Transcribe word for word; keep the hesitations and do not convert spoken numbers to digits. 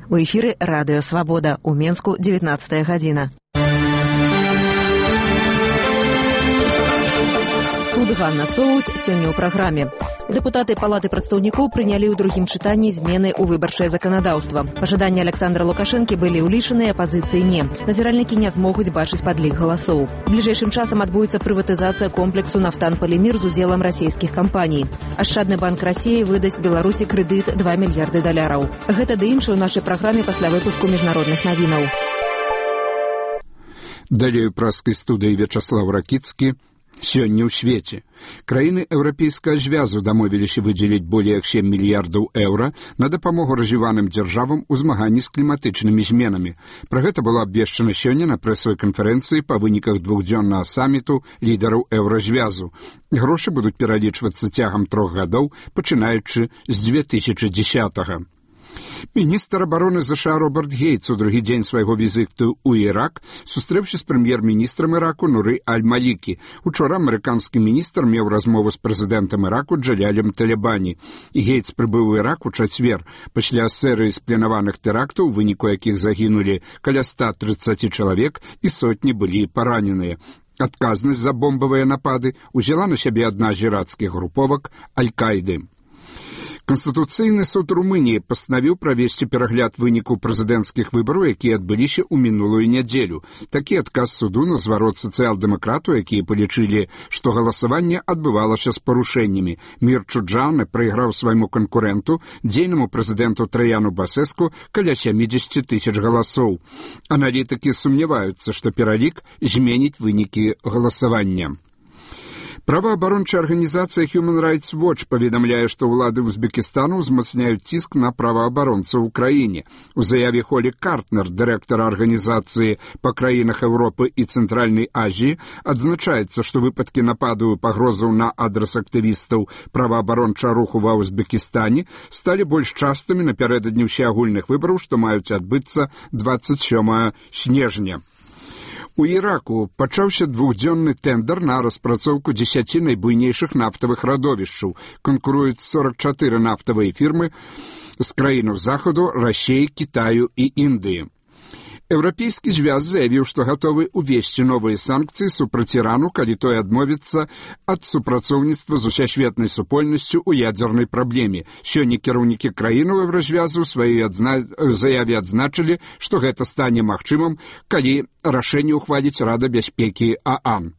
У эфіры радыё «Свабода», у Менску дзевятнаццатая гадзіна. Тут Ганна Соус сёння ў праграме. Дэпутаты Палаты прадстаўнікоў прынялі ў другім чытанні змены ў выбарчае заканадаўства. Пажаданні Александра Лукашэнкі былі ўлічаныя, апазіцыі не. Назіральнікі не змогуць бачыць падлік галасоў. Бліжэйшым часам адбудзецца прыватызацыя комплексу «Нафтан-Палімір» з удзелам расійскіх кампаній. Ашчадны банк Расіі выдасць Беларусі крэдыт два мільярды даляраў. Гэта ды іншае ў нашай праграме пасля выпуску міжнародных навінаў. Далей у праскай студыі Вячаслав Ракіцкі. Сёння ў свеце. Краіны Еўрапейскага звязу дамовіліся выдзеліць болей як сем мільярдаў еўра на дапамогу развіваным дзяржавам у змаганні з кліматычнымі зменамі. Пра гэта было абвешчана сёння на прэсавай канферэнцыі па выніках двухдзённага саміту лідараў еўразвязу. Грошы будуць пералічвацца цягам трох гадоў, пачынаючы з дзве тысячы дзесятага. Міністр абароны ЗША Роберт Гейтс у другі дзень свайго візіту ў Ірак сустрэўся з прэм'ер-міністрам Іраку Нуры Аль-Малікі. Учора амерыканскі міністр меў размову з прэзідэнтам Іраку Джалялем Талебані. Гейтс прыбыў у Ірак у чацвер пасля серыі спланаваных тэрактаў, у выніку якіх загінулі каля ста трыццаці чалавек і сотні былі параненыя. Адказнасць за бомбавыя напады узяла на сябе адна з іракскіх груповак Аль-Каіды. Канстытуцыйны суд Румыніі пастанавіў правесці перагляд вынікаў прэзідэнцкіх выбараў, якія адбыліся ў мінулую нядзелю. Такі адказ суду на зварот сацыял-дэмакратаў, якія палічылі, што галасаванне адбывалася з парушэннямі. Мір Чуджаны прайграў свайму канкурэнту, дзейнаму прэзідэнту Траяну Басэску, каля сямідзесяці тысяч галасоў. Аналітыкі сумняваюцца, што пералік зменіць вынікі галасавання. Праваабарончая арганізацыя Human Rights Watch паведамляе, што ўлады Узбекістану ўзмацняюць ціск на праваабаронцаў у краіне. У заяве Холі Картнер, дырэктара арганізацыі па краінах Еўропы і Цэнтральнай Азіі, адзначаецца, што выпадкі нападу і пагрозаў на адрас актывістаў праваабарончага руху ва Узбекістане сталі больш частымі напярэдадні ўсеагульных выбараў, што маюць адбыцца дваццаць сёмага снежня. У Іраку пачаўся двухдзённы тэндэр на распрацоўку дзесяці найбуйнейшых нафтавых радовішчаў. Канкуруюць сорак чатыры нафтавыя фірмы з краінаў захаду, Расіі, Кітаю і Індыі. Еўрапейскі звяз заявіў, што гатовы увесці новыя санкцыі супраць Ірану, калі той адмовіцца ад супрацоўніцтва з усесветнай супольнасцю ў ядзернай праблеме. Сёння кіраўнікі краінаў еўразвязу ў сваёй адзна... заяве адзначылі, што гэта стане магчымым, калі рашэнне ўхваліць Рада бяспекі ААН.